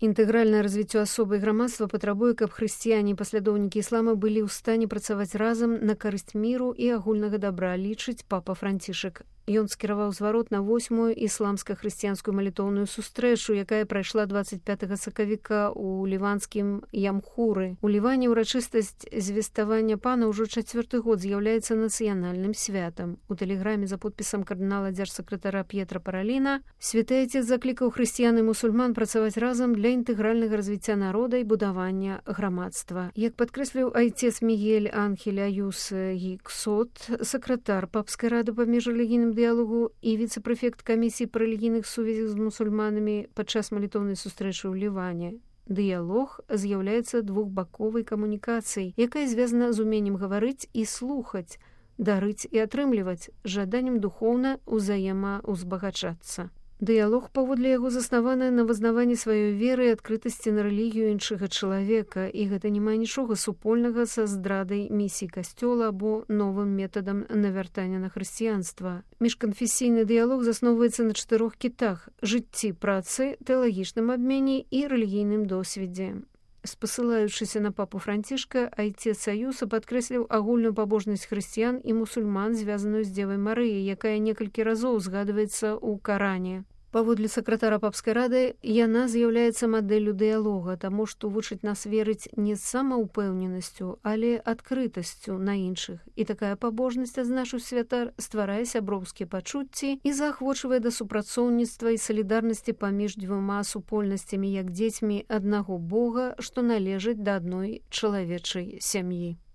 Інтэгральнае развіццё асобы і грамадства патрабуе, каб хрысціяне і паслядоўнікі іслама былі ў стане працаваць разам на карысць міру і агульнага дабра, лічыць папа Францішак. Ён скіраваў зварот на 8-ю ісламска-хрысціянскую малітоўную сустрэчу, якая прайшла 25 сакавіка ў ліванскім Ямхуры. У Ліване ўрачыстасць звеставання пана ўжо 4-й год з'яўляецца нацыянальным святам. У тэлеграме за подпісам кардынала дзяржсакратара П'етра Параліна святы Айцец заклікаў хрысціян і мусульман працаваць разам для інтэгральнага развіцця народа і будавання грамадства. Як падкрэсліў айцец Мігель Анхель Аюс Гіксот, сакратар папскай рады па міжрэлігійным дыялогу і віцэ-прэфект камісіі па рэлігійных сувязях з мусульманамі падчас малітоўнай сустрэчы ў Ліване. Дыялог з'яўляецца двухбаковай камунікацыяй, якая звязана з уменнем гаварыць і слухаць, дарыць і атрымліваць, жаданнем духоўна ўзаемаўзбагачацца. Дыялог, паводле яго, заснаваны на вызнаванні сваёй веры і адкрытасці на рэлігію іншага чалавека, і гэта не мае нічога супольнага са здрадай місіі касцёла або новым метадам навяртання на хрысціянства. Міжканфесійны дыялог засноўваецца на 4 кітах: жыцці, працы, тэалагічным абмене і рэлігійным досведзе. Спасылаючыся на папу Францішка, айцец Аюса падкрэсліў агульную пабожнасць хрысціян і мусульман, звязаную з Дзевай Марыяй, якая некалькі разоў згадваецца ў Каране. Паводле сакратара папскай рады, яна з'яўляецца мадэллю дыялога, таму што вучыць нас верыць не з самаўпэўненасцю, але адкрытасцю на іншых. І такая пабожнасць, адзначыў святар, стварае сяброўскія пачуцці і заахвочвае да супрацоўніцтва і салідарнасці паміж дзвюма супольнасцямі, як дзецьмі аднаго Бога, што належаць да адной чалавечай сям'і.